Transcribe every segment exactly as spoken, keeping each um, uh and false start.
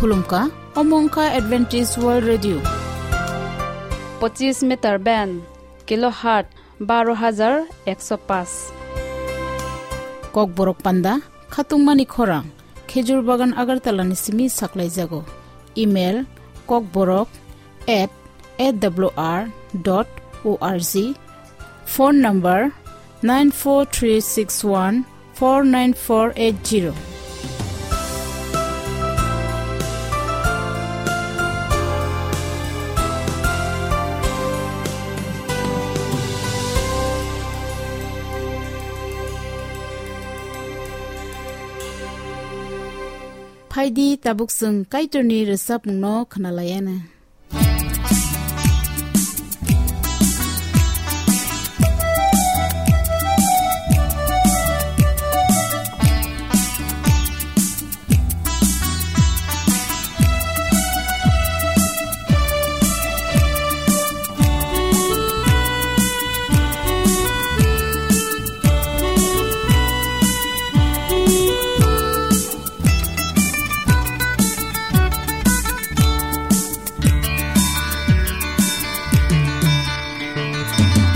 Khulumkha, omo wngkha Adventist World Radio. Pochis meter band, kilohertz baro hajar ekso paanch. Kokborok panda, khatungmani khorang, Khejur Bagan Agartala ni simi saklaijago. Email, kokborok at A W R dot O R G. Phone number, nine four three six one four nine four eight zero. Phaidi, tabuk chwng Kaitorni rwchapmungno khwnalaiana.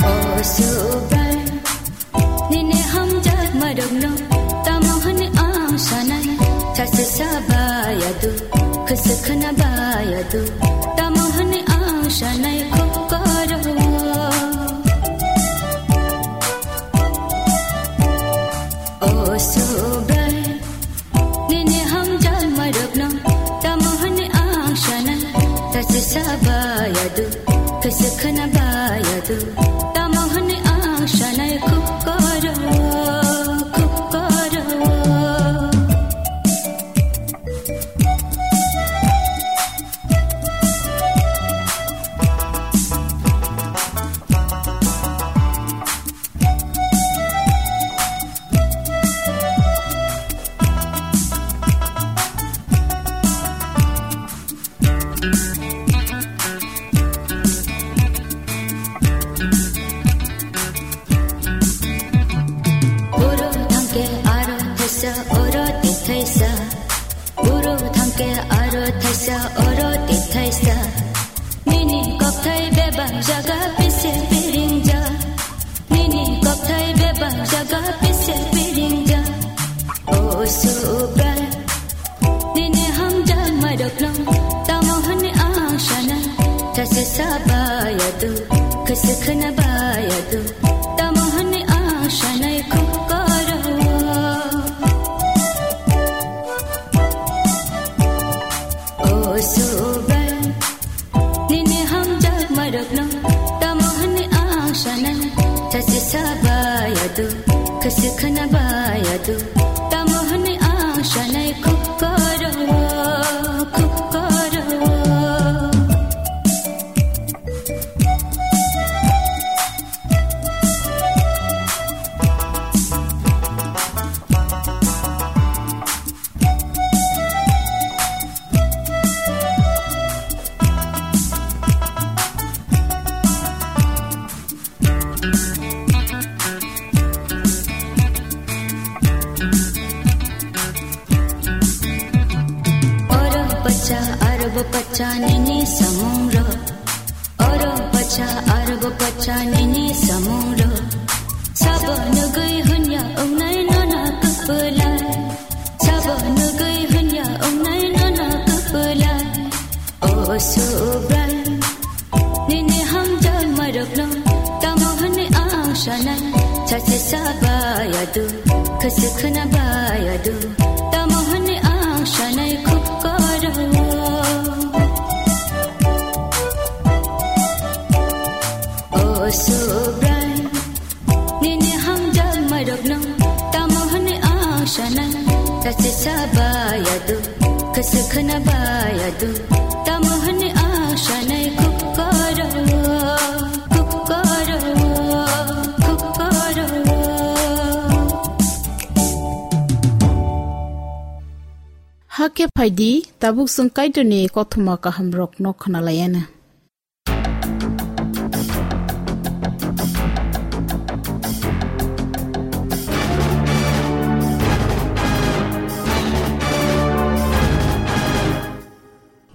O Subrai, nini hamjakmarokno tamo hwnwi ang sanai? Sachi sa bayadu, khwswk khwna bayadu, tamo hwnwi ang sanai khuk koro. O Subrai, nini hamjakmarokno tamo hwnwi ang sanai? Sachi sa bayadu, khwswk khwna bayadu, tamo hwnwi ang sanai khuk koro, khuk koro. Oro thangke aro thaisa, oro tithaisa. Oro thangke aro thaisa, oro tithaisa. Nini kokthai bebak jaga pise piringjak. Nini kokthai bebak jaga pise piringjak. O Subrai, nini hamjakmarokno tamo hwnwi ang sanai? Sachi sa bayadu, khwswk khwna bayadu, tamo hwnwi ang sanai khuk koro. O Subrai, nini hamjakmarokno tamo hwnwi ang sanai? Sachi sa bayadu, khwswk khna bayadu, tamo hwnwi ang sanai khuk koro, khuk koro. Oro pacha, aro bo pacha nini samungrok. Oro pacha, aro bo pacha nini samungrok. Sabo nugwi hwnya wngnai nono kwplai. Sabo nugwi hwnya wngnai nono kwplai. O Subrai, nini hamjakmarokno tamo hwnwi ang sanai? Sachi sa bayadu, khwswk khna bayadu, tamo hwnwi ang sanai khuk koro. O Subrai, nini hamjakmarokno tamo hwnwi ang sanai? Sachi sa bayadu, khwswk khna bayadu, tamo hwnwi ang sanai khuk koro, khuk koro, khuk koro. Hakhe phaidi, tabuk chwng Kaitorni kothoma kahamrokno khwnalaiana.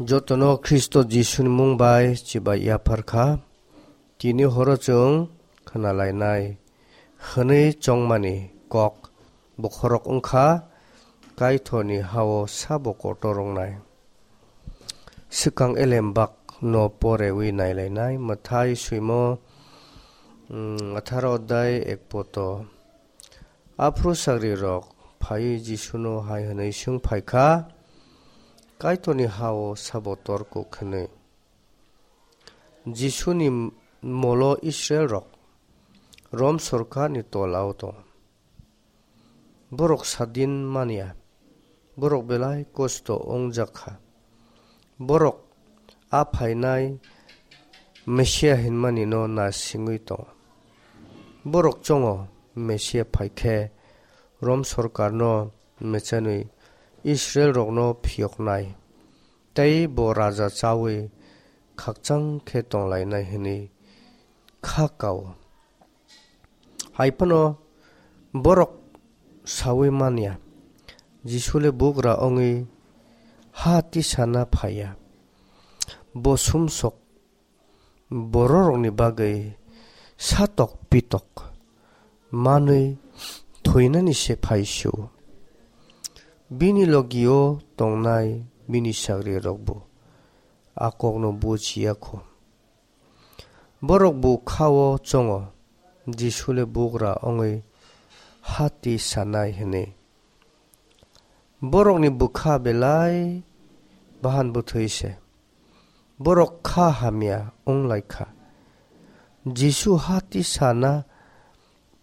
Jotono Khristo Jisuni mung bai chibai yaphar kha. Tini horo chwng khna lainai hwnwi chongmani kok bokhorok wng kha, Kaitorni ha-o sabo kotor wngnai. Swkang elem bak no porewi nailainai, Mathai swimo, mm, atharo odai ek poto. Aphuru sagrirok phaiwi Jisuno hai hwnwi swng phai kha, "Kaitorni ha-o sabo torkuk?" hwnwi. Jisuni molo Israelrok Rom sorkarni tolao tongo. Borok sadin manya, borok belai kosto wngjak kha. Borok a phainai Mesia hinmani no naisingwi tongo. Borok chongo Mesia phai khe Rom sorkarno mechenwi Israelrokno phiyoknai, tei bo raja chawi khakchang khe tonglainai hwnwi kha kao. Hai phano borok saui manya, Jisu le bugra wngwi ha tisana phaiya. Bo sumsok bororokni bagwi satok pitok manwi thuinani se phai su. Bini logio tongnai bini sagrirokbo a kokno bujiya kho. Borok bukha-o chongo, Jisu le bugra wngwi ha tisanai hwnwi. Borokni bwkha belai bahan bwthwi se. Borok kha hamya wng lai kha. Jisu ha tisana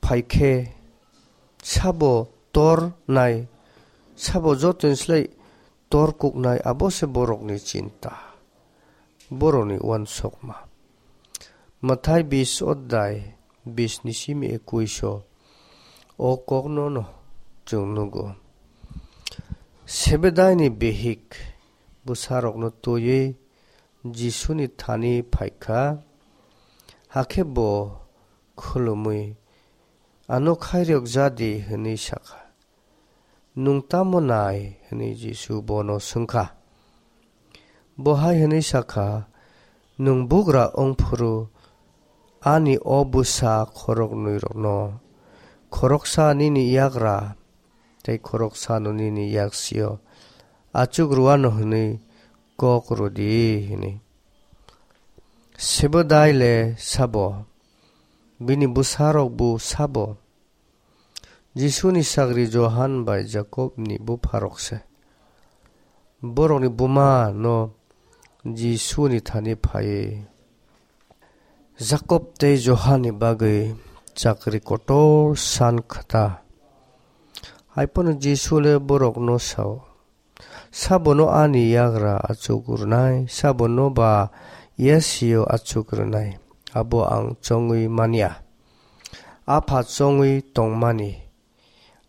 phai khe sabo tor nai, sabo jotoni slai tor kuknai, abo se borokni chinta, borokni uansukma. Mathai bis odai bis ni simi ekuiso o kokno no chwng nugo. Sebedaini bihik bwsarokno twiwi Jisuni thani phai kha, hakhe bo khulumwi, "Ano khairok ja di," hwnwi sa kha. "Nwng tamo nai?" hwnwi Jisu bono swng kha. Bo hai hwnwi sa kha, "Nwng bugra wng phuru ani o bwsa khoroknwirokno, khoroksa nini yagra tei khoroksano nini yaksio achuk rw anw hwnwi kok rw di," hwnwi. Sebedai le sabo? Bini bwsarokbo sabo? Jisuni sagri Johan bai Jakobni bupharok se. Borokni buma no Jisuni thani phaiwi Jakob tei Johanni bagwi chakri kotor san kha ta. Hai phano Jisu le borokno sao, "Sabono ani yagra achuk rwnai, sabono ba yasio achuk rwnai, abo ang chongwi manya. Apha chongwi tongmani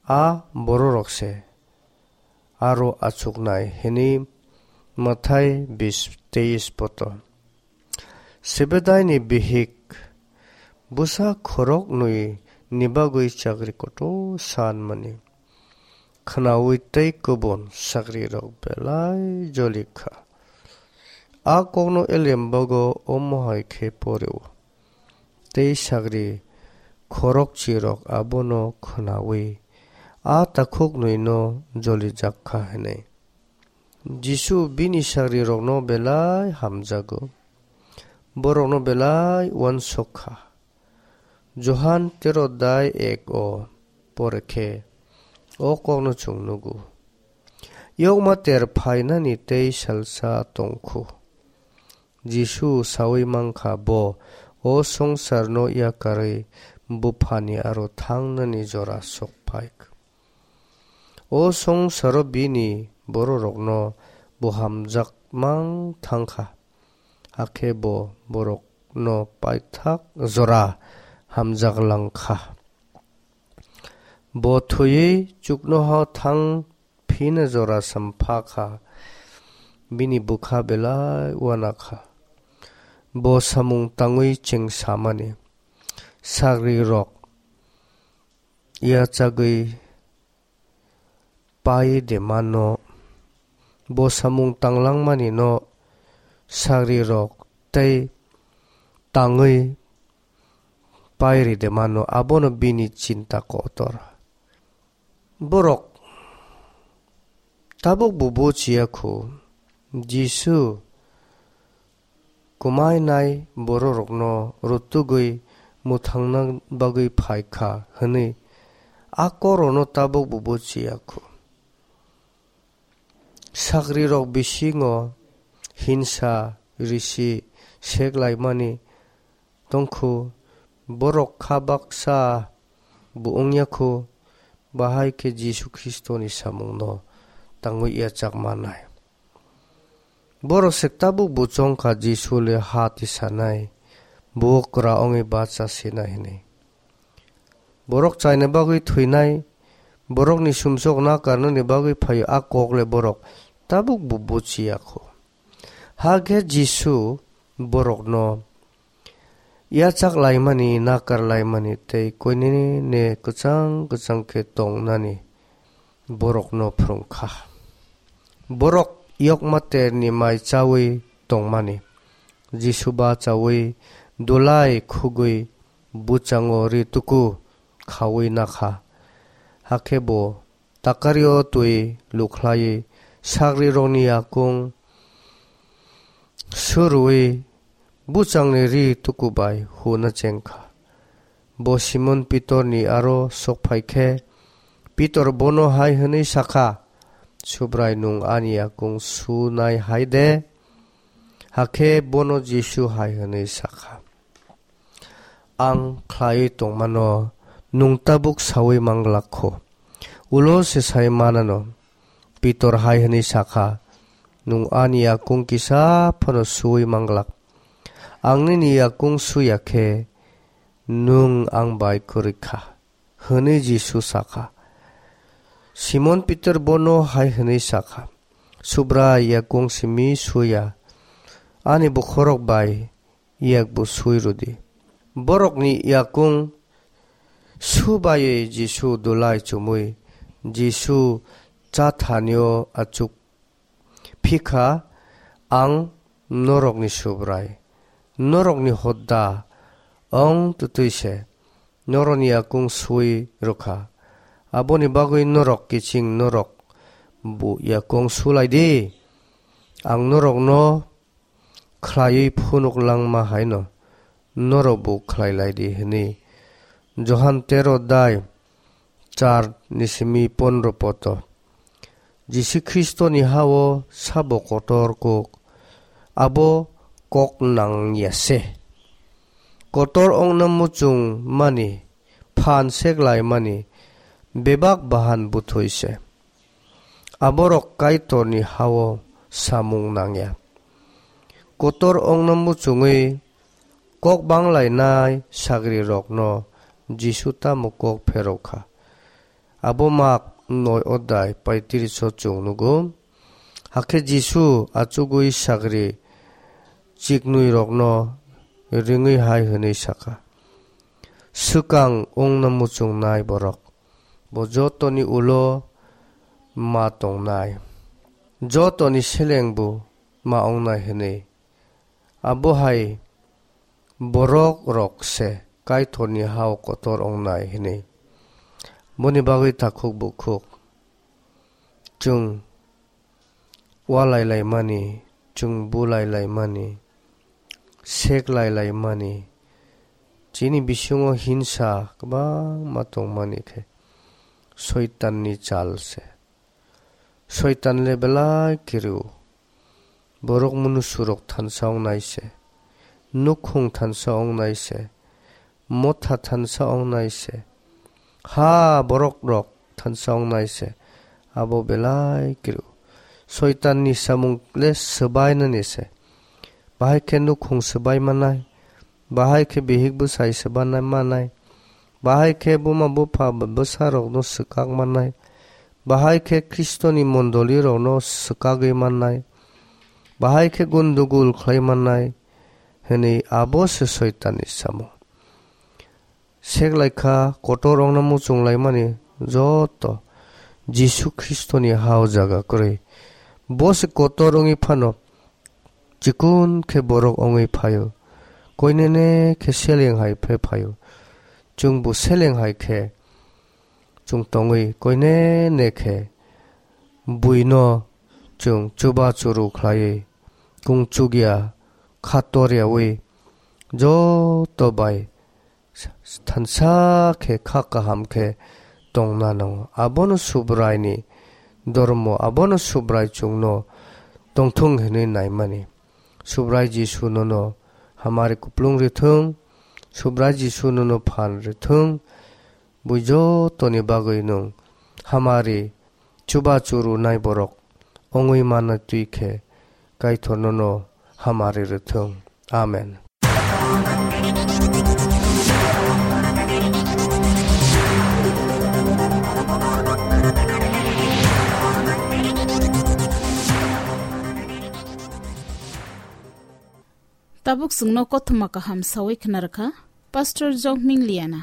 a bororok se aro achuknai," hwnwi Mathai bis teis poto. Sebedaini bihik bwsa khoroknwi ni bagwi chakri kotor san mani khwnaui tei kubun sagrirok belai joli kha. A kokno elembago omo hai khe poreo. Tei sagri khorokchirok abono khwnaui a takhuknwino jolijak kha hwnwi. Jisu bini sagrirokno belai hamjago, borokno belai uansuk kha. Johan tero dai ek o pore khe o kokno chwng nugo. Yokma ter phainani tei salsa tong khu. Jisu saui man kha, bo o songsarno yakarwi Buphani aro thangnani jora sok phai kha. O songsaro bini bororokno bo hamjak mang thang kha, hakhe bo borokno paithak jora hamjak lang kha. Bo thwiwi chuknoha thang phina jora sampha kha, bini bwkha belai uana kha. Bo samung tangwi cheng samani, sagrirok yachagwi pai de mano. Bo samung tanglangmani no sagrirok tei tangwi pairide mano, abono bini chinta kotor. Borok tabuk bo buchiya kho, Jisu kwmainai bororokno rutugwi mwthangna bagwi phai kha hwnwi a korono tabuk bo buchiya kho. Sagrirok bisingo hinsa risi seklaimani tongkhu, borok kha baksa bo wngya kho, bahai khe Jisu Khristoni samungno tangwi yachak manai. Borok se tabuk bo chongkha Jisu le ha tisanai, bo kwra wngwi bacha sinai hwnwi. Borok chaina bagwi thwinai, borokni sumsok nakarnani bagwi phaio, a kok le borok tabuk bo buchiya kho. Hakhe Jisu borokno yachak laimani, nakar laimani tei koinene kwchang kwchang khe tongnani borokno phrwng kha. Borok yokma terni mai chawi tongmani Jisu bachawi dulai khugwi bwchango ri tuku khawi nakha. Hakhe bo takario twi lukhlaiwi sagrirokni yakung surwi bwchangni ri tuku bai huna chengkha. Bo Simon Pitorni aro sokphai khe, Pitor bono hai hwnwi sakha, "Subrai, nwng ani yakung sunai hai de?" Hakhe bono Jisu hai hwnwi sakha, "Ang khlaiwi tongmano nwng tabuk saui manglak kho. Ulo se sai manano." Pitor hai hwnwi sakha, "Nwng ani yakung kisa phano suui manglak. Ang nini yakung suya khe nwng ang bai kwrwi kha," hwnwi Jisu sakha. Simon Pitor bono hai hwnwi sakha, "Subrai, yakung simi suya, ani bokhorok bai yakbo sui rwdi." Borokni yakung su baiwi Jisu dulai chumui Jisu chathanio achuk phikha, "Ang norokni Subrai, norokni hoda ong twtwi se norokni yakung sui rwkha. Aboni bagwi norok kiching norok bo yakung sulai di. Ang norokno khlaiwi phunuk langma haino norok bo khlai lai di," hwnwi. Johan tero dai char ni simi pondro poto. Jisu Khristoni hao sabo kotor kok, abo kok nang ya se. Kotor ongna muchung mani, phan seklai mani, bebak bahan buthoi se. Aborok Kaitorni hao samung nangya. Kotor ongna muchungwi kok banglainai sagrirokno Jisu tamo kok pherokha? Abo Mak noi odai paitiriso chwng nugo. Hakhe Jisu achugwi sagri chiknwirokno ringwi hai hwnwi sakha, "Swkang wngna muchungnai borok, bo jotoni ulo ma tongnai, jotoni selengbo ma wngnai," hwnwi. Abo hai borok rok se Kaitorni hao kotor wngnai hwnwi. Boni bagwi takhuk bukhuk chwng walai laimani, chwng bulai laimani, seklai laimani, chini bisingo hinsa kwbangma tongmani khe Soitanni chal se. Soitan le belai kiru. Borok munusurok thansa wngnai se, nukhung thansa wngnai se, motha thansa wngnai se, ha borok rok thansa wngnai se, abo belai kiru. Soitan ni samung le swbainani se. Bahai khe nukhung swbai manai, bahai khe bihik bwsai swbanai manai, bahai khe buma bupha bwsa rokno swkak manai, bahai khe Khristoni mondoli rokno swkagwi manai, bahai khe gundugul khlai manai, hwnwi abo se Soitanni samung. Seklaikha kotor ongna muchung laimani joto Jisu Khristoni hao jaga kwrwi. Bo se kotor wngwi phano chikon khe borok wngwi phaio. Koinene khe seleng hai phe phaio. Chwngbo seleng hai khe chwng tongwi koinene khe buino chwng chuba churu khlaiwi kung chukya kha tor yaui joto bai thansa khe kha kaham khe tongna nango. Abono Subraini dormo, abono Subrai chwngno tongthung hinwi naimani. Subrai Jisu nono hamari kuplung rithung, Subrai Jisu nono phan rithung, bui jotoni bagwi nwng hamari chuba churu nai borok wngwi manna twi khe Kaitor nono hamari rwthwng. Amen. Tabuk chwngno kothoma kaham sawi khna rwkha Pastor Jokming Liana.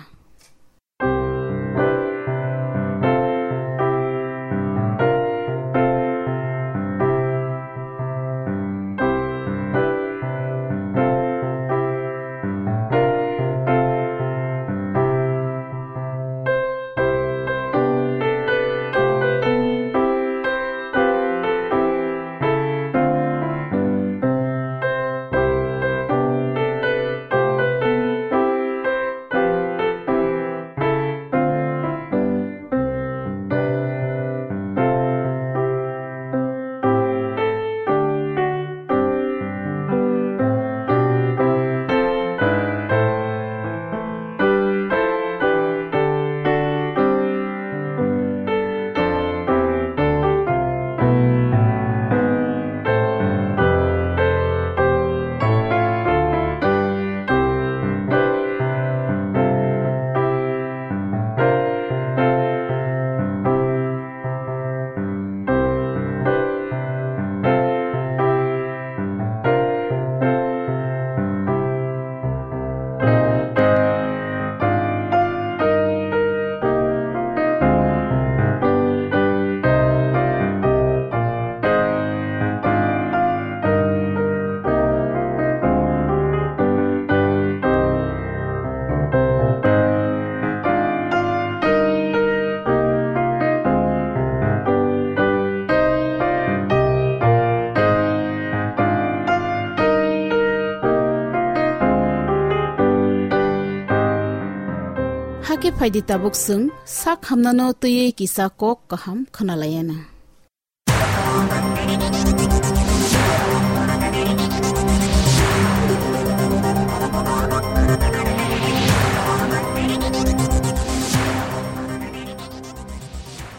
Hakhe phaidi tabuk chwng sak hamnano twiwi kisa kok kaham khwnalaiana.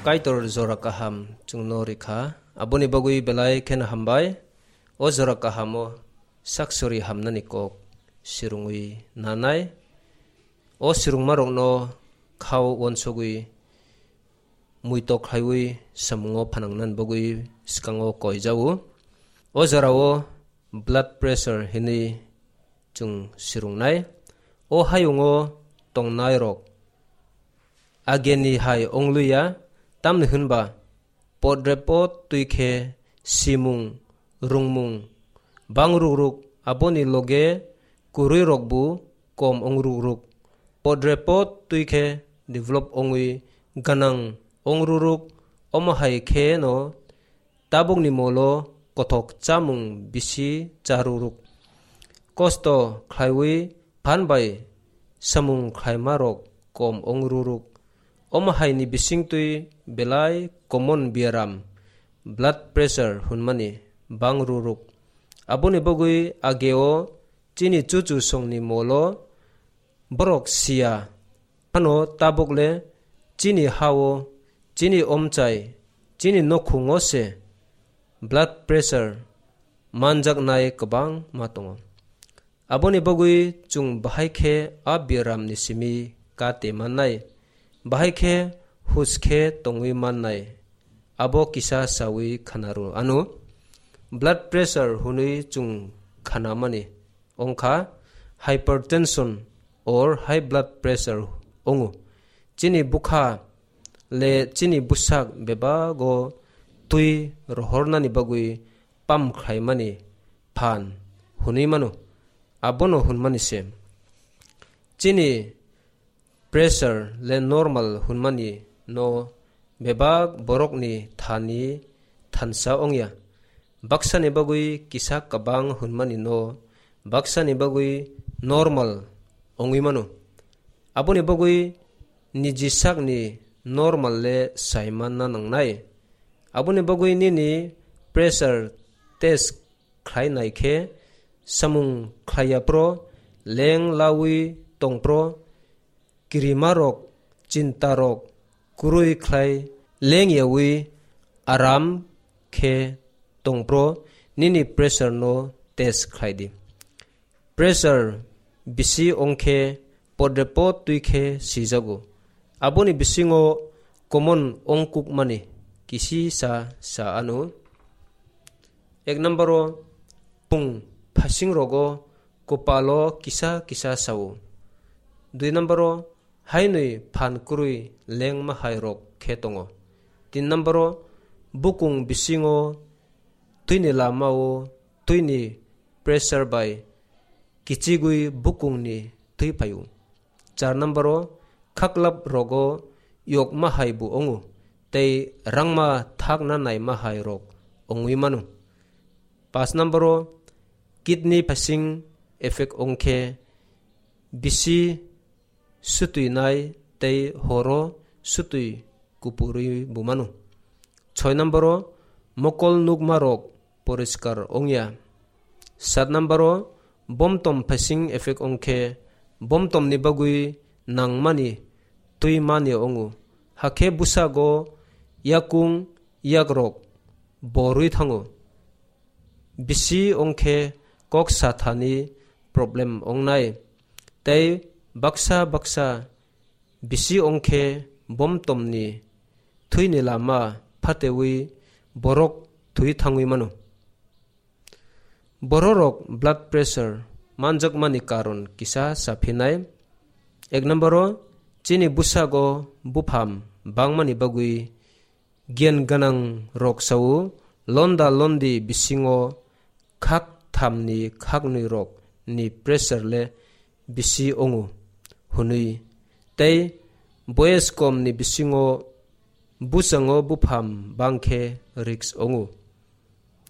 Kaitor jora kaham chwngno rikha, aboni bagwi belai kheno hambai. O jora kahamo saksori hamnani kok sirungwi nanai. O sirungmarokno khao uansugwi muitok khaiwi samungo phanangnani bagwi swkango koijao. O jorao blood pressure hinwi chwng sirungnai. O hayungo tongnairok ageni hai wngliya, tamni hwnba podrepot twi khe simung, rwngmung bang rukruk, aboni loge kwrwirokbo kom wng rukruk. Podrepot twi khe develop wngwi gwnang wng rukruk, omo hai khe no tabukni molo kothok chamung bisi cha rukruk. Kosto khlaiwi phan bai samung khlaimarok kom wng rukruk. Omo haini bisingtwi belai common biaram blood pressure hwnmani bang rukruk. Aboni bagwi ageo chini chuchu songni molo borok siya. Phano tabukle chini hao, chini omchai, chini nokhungo se blood pressure manjaknai kwbangma tongo. Aboni bagwi chwng bahai khe a biaramni simi kate mannai, bahai khe hus khe tongwi mannai, abo kisa sawi khanaru ano. Blood pressure hwnwi chwng khanamani wngkha hypertension or high blood pressure wngo. Chini bwkha le chini bwsak bebago twi rohornani bagwi pump khlaimani phan hwnwi mano. Abono hwnmani se. Chini pressure le normal hwnmani no bebak borokni thani thansa ongya. Baksani bagwi kisa kwbang hwnmani no baksani bagwi normal ongwi mano. Aboni bagwi niji sakni normal le sai manna nangnai. Aboni bagwi nini pressure test khlai nai khe samung khlai ya phro, leng laui tong phro, kirimarok, chintarok kwrwi khlai leng yaui aram khe tong phro, nini pressure no test khlai di. Pressure bisi ong khe podre pod twi khe sijago. Aboni bisingo common ongkukmani kisi sa sa ano. Ek number o pung phasing rogo kopalo kisa kisa sao. Dui number o hainwi phan kwrwi lengma hai rok khe tongo. Tin number o bukung bisingo twini lama o twini pressure bai kichigwi bukungni twi phaio. Char number o khaklap rogo yokma hai bo ongo tei rangma thakna naima hai rok ongwi mano. Pas number o kidney phasing effect ongkhe bisi sutwi nai tei horo sutwi kupurwi bo mano. Soi number o mokol nukma rok poriskar ongya. Sat number o bomtom phasing effect ongkhe bomtom ni bagwi nangmani twi mani ongo. Hakhe bwsago yakung yakrok borwi thango. Bisi ongkhe kok sathani problem ongnai. Tei baksa baksa bisi ongkhe bomtomni thwini lama phatewi borok thwi thangwi mano. Bororok blood pressure manjakmani karon kisa saphinai. Ek number o chini bwsago bupham bangmani bagwi giyan gwnang rok sao, londa londi bisingo khak thamni khaknwi rok ni pressure le bisi ongo hwnwi, tei boyes kom ni bisingo bwskango bupham bangkhe risk ongo.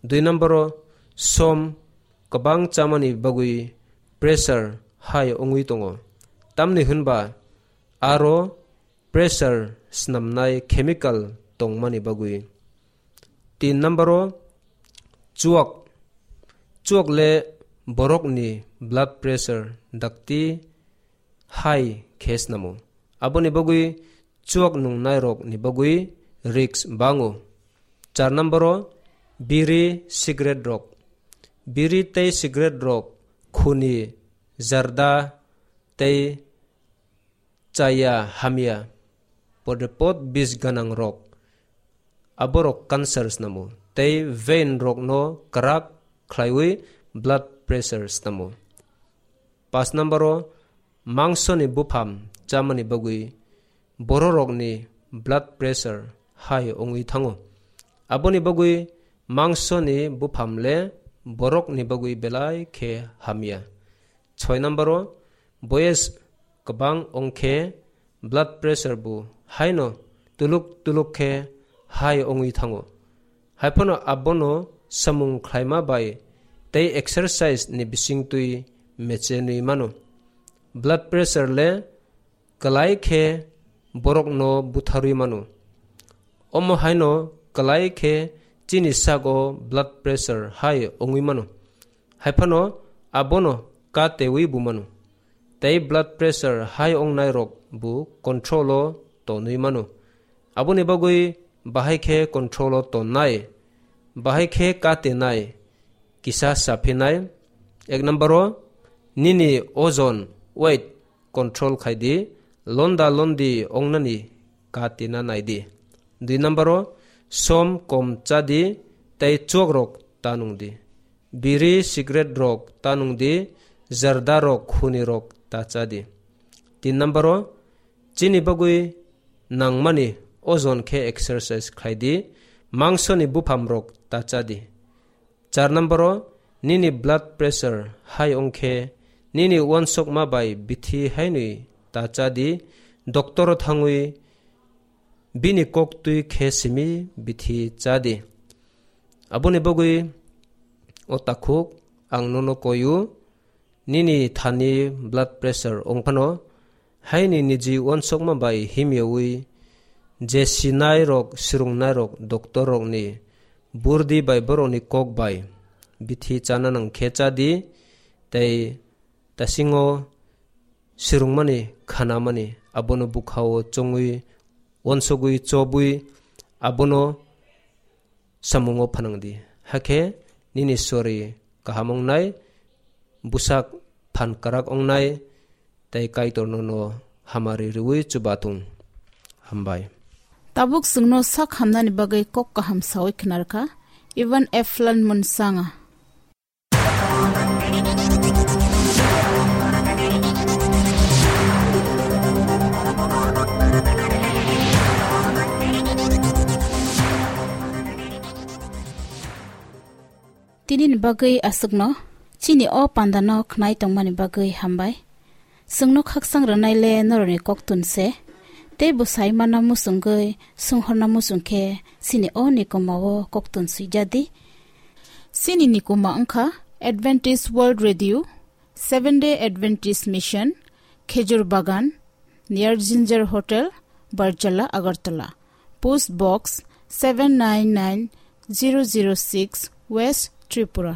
Dui number o som kwbang chamani bagwi pressure high ongwi tongo, tamni hwnba aro pressure snamnai chemical tongmani bagwi. Tin number o chuak, chuak le borokni blood pressure dakti high khe snamo. Aboni bagwi chuak nungnai rokni bagwi risk bango. Char number o biri cigarette rok, biri tei cigarette rok khuni, jarda tei chaya hamya, podepot bis gwnang rok, aborok cancer snamo tei vein rokno kwrak khlaiwi blood pressure snamo. Pas number o mangsoni bupham chamani bagwi bororokni blood pressure high ongwi thango. Aboni bagwi mangsoni bupham le borokni bagwi belai khe hamya. Soi number o boyes kwbang ongkhe blood pressure bo haino tuluk tuluk khe high ongwi thango. Haiphano abono samung khlaima bai tei exercise ni bisingtwi mechenwi mano. Blood pressure le kwlai khe borokno butharwi mano. Omo haino kwlai khe chini sago blood pressure high ongwi mano. Haiphano abono ka tewi bo mano. Tei blood pressure high ongnai rok bo control o tonwi mano. Aboni bagwi bahai khe control o tonnai, bahai khe ka tenai, kisa saphinai. Ek number o nini ojon, weight, control khai di, londa londi ongnani ka tina nai di. Dui number o som kom cha di tei chuak rok ta nung di. Biri cigarette rok ta nung di, jarda rok khuni rok ta cha di. Tin number o chini bagwi nangmani ojon khe exercise khai di, mangsoni bupham rok ta cha di. Char number o Nini blood pressure high wngkhe nini uansukma bai bithi hainwi ta chadi, doctor-o thangwi bini kok twi khe simi bithi chadi. Aboni bagwi o takhuk ang nono koiyo, nini thani blood pressure wngphano, haini niji uansukma bai himyawi je sinai rok, sirungnai rok, doctor rokni burdi bai borokni kok bai bithi chana nang khe chadi, tei tasingo sirungmani, khanamani, abono bukhao chongwi, uansugwi, chobwi, abono samungo phanangdi. Hakhe nini sori kaham wngnai, bwsak phan kwrak wngnai, tei Kaitor nono hamari rwui chubatung. Hambai. Tabuk chwngno sak hamnani bagwi kok kaham sawi khnarkha Ivan F. Lan Munsanga. Tini ni bagwi aswkno, chini o panda no khnai tongmani bagwi hambai. Chwngno khakchang rwnai le norokni koktun se, tei bwsai mana muchungwi sunghorna muchung khe chini o nikoma o koktun swijadi. Chini nikoma wngkha Adventist World Radio, Seventh Day Adventist Mission, Khejur Bagan, near Ginger Hotel, Barjala, Agartala. Post Box seven nine nine zero zero six, West Tripura.